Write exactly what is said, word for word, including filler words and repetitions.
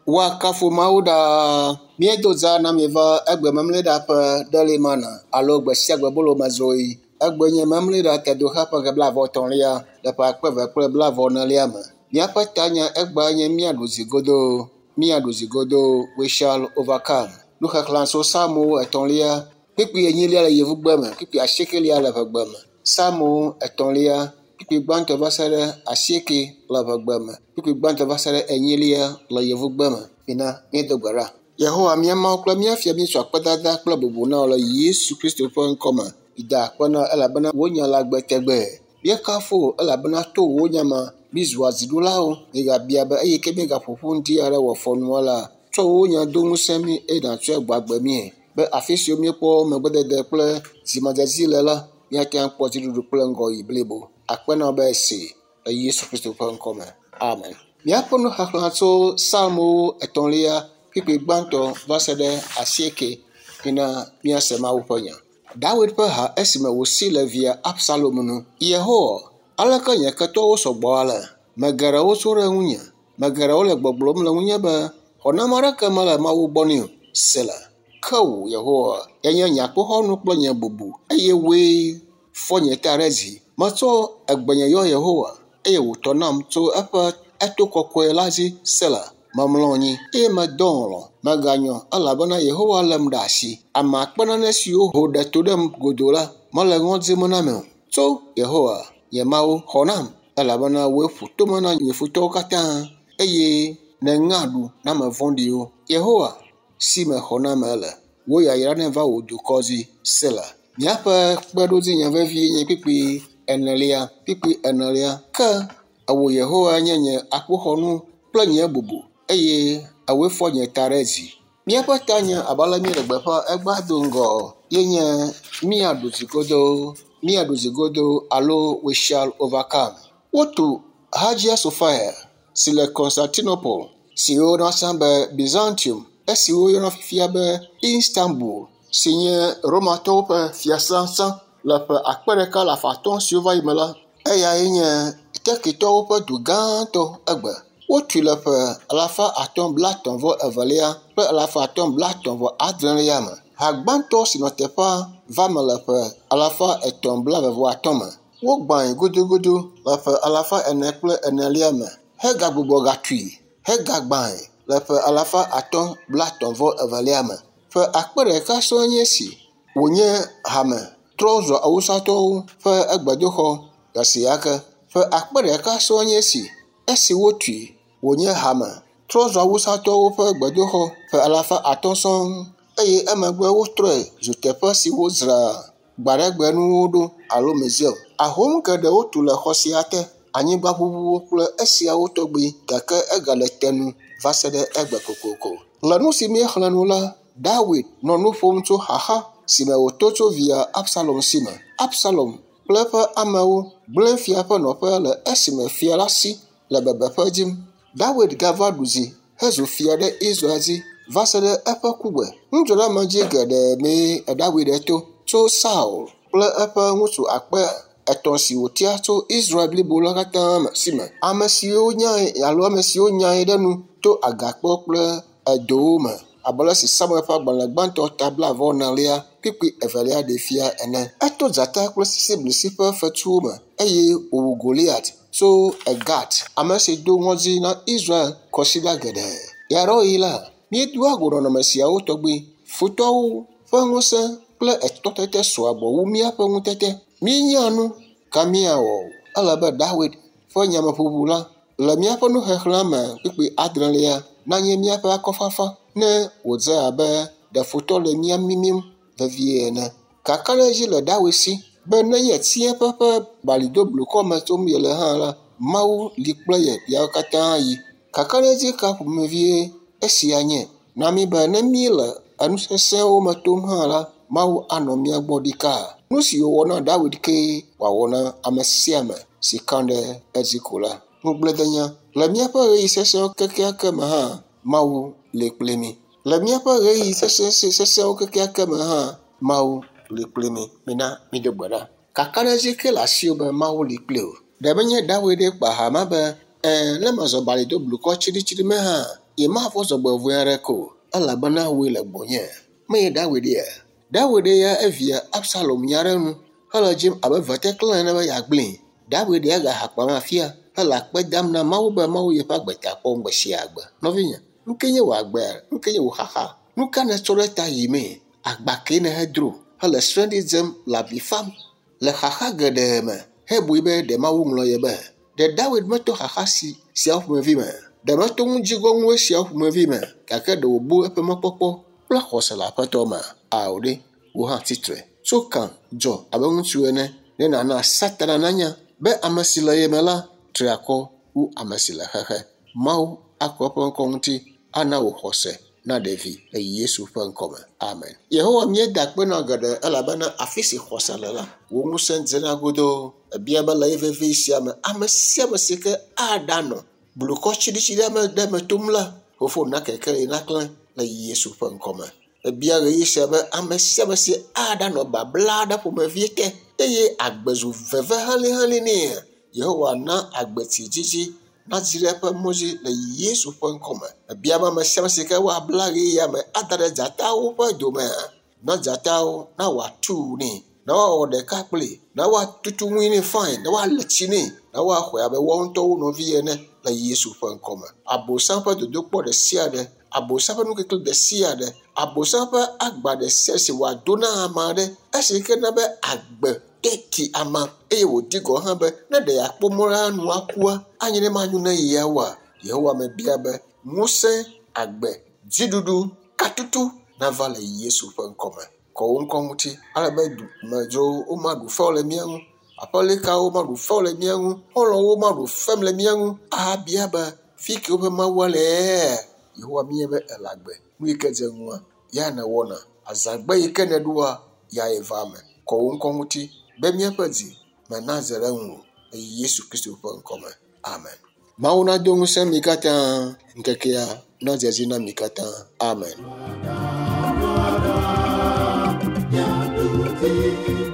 Woakafu Mawu ɖaa. Míedo dza na mi va egbe memleɖa ƒe ɖelimana alo gbe sia gbe bolomedzroɣi. Egbe nye memleɖa tedoxe ƒe ɣe blaeve etɔ̃lia le ƒe akpe eve kple blaeve enelia me. Míaƒe tanya egbea nye míaɖu dzi godoo. Míaɖu dzi godoo. We shall overcome. Nuxexlẽ tso Psalmo etɔ̃lia, kpukpui enyilia le yevugbe me, kpukpui asiekelia le ʋegbe me. Psalmo etɔ̃lia, kpukpui gbãtɔ va se ɖe asieke le ʋegbe me, kpukpui gbãtɔ va se ɖe enyilia le yevugbe me. Mina míedo gbe ɖa. Yehowa mía Mawu kple mía Fia míetsɔ akpedada kple bubu na wò le Yesu Kristo ƒe ŋkɔme. Da akpe na elabena wò nya le agbe tegbee. Míekafu wò elabena to wò nya me mízua dziɖulawo. Míegabia be eyi ke míegaƒo ƒu ŋdi aɖe wɔ fɔnua la, tsɔ wò nya do ŋusẽ mí eye nàtsɔe gbɔ agbe míe. Be afi siwo míekpɔ megbedede kple dzimedzedzi le la, míate ŋu akpɔ dziɖuɖu kple ŋgɔyiyi blibo. Akpe na wò be esi le Yesu Kristo ƒe ŋkɔme. Amen. Míaƒe nuxexlẽ tso Psalmowo etɔ̃lia, kpukpui gbãtɔ va se ɖe asieke. Mina míase Mawu ƒe nya. Dawid ƒe ha esime wòsi le via Absalom nu. Yehowa, aleke nye ketɔwo sɔgbɔ ale? Megeɖewo tso ɖe ŋunye. Megeɖewo le gbɔgblɔm le ŋunye be, xɔname aɖeke mele Mawu gbɔ nɛ o. Sela. Ke wò, Yehowa, enye nye akpoxɔnu kple nye bubu eye wòe fɔ nye ta ɖe dzi. Metsɔ egbenye yɔ Yehowa eye wòtɔ nam tso eƒe eto kɔkɔe la dzi. Sela. Memlɔ anyi eye medɔ alɔ̃. Meganyɔ elabena Yehowa lém ɖe asi. Ame akpe nane siwo ho ɖe to ɖem godoo la, mele ŋɔdzi me nam o. Tso Yehowa, nye Mawu, xɔ nam elabena wòe ƒo tome na nye futɔwo katã eye nèŋe aɖu na ame vɔ̃ɖiwo. Yehowa, si me xɔname le, wò yayra neva wò dukɔ dzi. Sela. Míaƒe kpeɖodzinya vevie nye kpukpui enelia, kpukpui enelia. Ke ewò Yehowa nye nye akpoxɔnu kple nye bubu eye ewòe fɔ nye ta ɖe dzi. Míaƒe tanya abe ale míele gbeƒã egbea do ŋgɔ ye nye míaɖu dzi godoo, míaɖu dzi godoo alo we shall overcome. Wotu Hagia Sophia si le Constantinople si woyɔna tsã be Byzantium esi woyɔna fifia be Istanbul si nye Romatɔwo ƒe fiasã tsã le ƒe akpe ɖeka alafa atɔ̃ siwo va yi me la, eyae nye Turkeytɔwo ƒe du gãtɔ egbe. Wotui le ƒe alafa atɔ̃ blaetɔ̃ vɔ evelia kple alafa atɔ̃ blaetɔ̃ vɔ adrelia me. Ha gbãtɔ si nɔ teƒea va me le ƒe alafa etɔ̃ blaeve vɔ atɔ̃ me. Wogbãe gudugudu le ƒe alafa ene kple enelia me hegagbugbɔ gatui hegagbãe le ƒe alafa atɔ̃ blaetɔ̃ vɔ evelia me. Ƒe akpe ɖeka sɔŋ nye esi wònye hame trɔ zu awusatɔwo ƒe egbedoxɔ gasia ke. Ƒe akpe ɖeka sɔŋ nye esi esi wotui wònye hame trɔ zu awusatɔwo ƒe gbedoxɔ ƒe alafa atɔ̃ sɔŋ eye emegbe wotrɔe zu teƒe si wodzraa gbaɖegbenuwo ɖo alo museum. Ahom geɖewo tu le xɔ sia te, anyigbaʋuʋuwo kple esiawo tɔgbi gake egale te nu va se ɖe egbe kokoko. Le nu si míexlẽ nu la, Dawid nɔ nu ƒom tso xaxa si me wòto tso via Absalom si me. Absalom kple eƒe amewo gblẽ fia ƒe nɔƒe le esime fia la si le bebeƒe dzim. Dawid gava ɖu dzi hezu fia ɖe Israel dzi va se ɖe eƒe kugbe. Nudzɔɖeamedzi geɖe mee Dawid to tso Saul kple eƒe ŋutsu akpe etɔ̃ si wòtia tso Israel blibo la katã me si me. Ame siwo nyae alo ame siwo nyae ɖe nu to agakpewo kple edowo me abe ale si Samuel ƒe agbalẽ gbãtɔ ta blaeve enelia kpukpui evelia ɖee fia ene. Eto dzata kple sisiblisi ƒe fetuwo me eye wòwu Goliat tso Egat, ame si do ŋɔdzi na Israel kɔsiɖa geɖe. Ɣeaɖewoɣi la, míedoa go nɔnɔme siawo tɔgbi. Futɔwo ƒe ŋusẽ kple etɔtete sɔa gbɔ wu míaƒe ŋutete. Míenya nu ka míawɔ o. Ele be Dawid ƒe nyameʋuʋu la le míaƒe nuxexlẽ me kpukpui adrelia nanye míaƒe akɔfafa ne wòdze abe ɖe futɔ le mía mimim vevie ene. Kakaɖedzi le Dawid si be nenye tsiẽƒe ƒe balidoblukɔ me tom yele hã la, Mawu li kple ye ɣeawo katã ɣi. Kakaɖedzi ka ƒomevie esia nye na mí be ne míele enu sesẽwo me tom hã la, Mawu anɔ mía gbɔ ɖikaa. Nu si wòwɔ na Dawid kee wòawɔ na ame sia ame si ka ɖe edzi ko la. Ŋugbledenya le míaƒe ɣeyiɣi sesẽwo kekeake me hã, Mawu li kpli mi. Le míaƒe ɣeyiɣi sesẽ sesẽwo kekeake me hã, Mawu li kpli mi. Mina mído gbe ɖa. Kakaɖedzi ke le asiwò be Mawu li kpli wò. Ɖe menye Dawid kpa ha ma be ɛɛ ne mezɔ bali do blukɔ tsiɖitsiɖi me hã, nyemavɔ̃ dzɔgbevɔ̃e aɖeke o, elabena wòe le gbɔnye. Menye Dawid ya. Dawid ya evia Absalom nya ɖe nu hele dzim abe veteklẽ ene be yeagblẽe. Dawid ya gahakpa ma fia hele akpe dam na Mawu be Mawu yeƒe agbe ta kpɔm gbe sia gbe. Nɔvinye, nu ke nye wò agbea? Nu ke nye wò xaxa? Nu ka nètsɔ ɖe ta yimee? Agba kee nèhedro hele srẽɖi dzem le avi fam le xaxa geɖe me hebui be ɖe Mawu ŋlɔ ye be. Ɖe Dawid meto xaxa si siawo ƒomevi me? Ɖe meto ŋudzigɔŋue siawo ƒomevi me? Gake ɖe wòbu eƒe mɔkpɔkpɔ kple xɔse le Aƒetɔ me? Ao ɖe, wò hã tsitre. Tso kan dzɔ abe ŋutsu ene ne nàna Satana nanya be ame si le ye me la tri akɔ wu ame si le xexe. Mawu akɔ eƒe ŋkɔ ŋuti ana wò xɔse naɖe vi le Yesu ƒe ŋkɔme. Amen. Yehowa míeda akpe na geɖe elabena afi si xɔse le la, wò ŋusẽ dzena godoo. Ebia be le ɣeyiɣi vevi sia me, ame sia ame si ke aɖanɔ blukɔ tsiɖitsiɖi me ɖe me tom la, fofo na kekeli naklẽ le Yesu ƒe ŋkɔme. Ebia ɣeyiɣi sia be ame sia ame si aɖanɔ babla aɖe ƒomevie te eye agbe zu veve helĩhelĩ nɛ. Yehowa na agbetsi dzidzi nadzi ɖe eƒe mɔ dzi le Yesu ƒe ŋkɔme. Ebia be ame sia ame si ke woabla ɣeyiɣia me ada ɖe dzatawo ƒe dome na dzatawo na wòatu nɛ, na woawɔ ɖeka kpli, na woatutu ŋui nɛ fain, na woale tsi nɛ, na woaxɔe abe woawo ŋutɔwo nɔvi ene le Yesu ƒe ŋkɔme. Abosam ƒe dodokpɔ ɖe sia ɖe, abosam ƒe nukikli ɖe sia ɖe, abosam ƒe agba ɖe sia si wòado na ame aɖe, esi ke na be agbe teti ama eye wòdi gɔ̃ hã be ne ɖe yeakpɔ mɔ la nu akua, anye ne manyo ne yia oa, Yehowa mebia be ŋusẽ, agbe, dziɖuɖu, katutu nava le Yesu ƒe ŋkɔme. Kɔ wò ŋkɔ ŋuti ale be dumedzrowo womaɖu fewu le mía ŋu, aƒelikawo maɖu fewu le mía ŋu, xɔlɔ̃wo maɖu fem le mía ŋu ahabia be fi ke woƒe Mawua le. Yehowa míenya be ele agbe. Nu yi ke dze ŋua, ya nèwɔna. Azãgbe yi ke nèɖoa, yae va eme. Kɔ wò ŋkɔ ŋuti be míaƒe dzi me nadze ɖe ŋuwò le Yesu Kristo ƒe ŋkɔme. Amen. Mawu nado ŋusẽ mi katã, ŋkekea nadze edzi na mi katã. Amen. Thank you.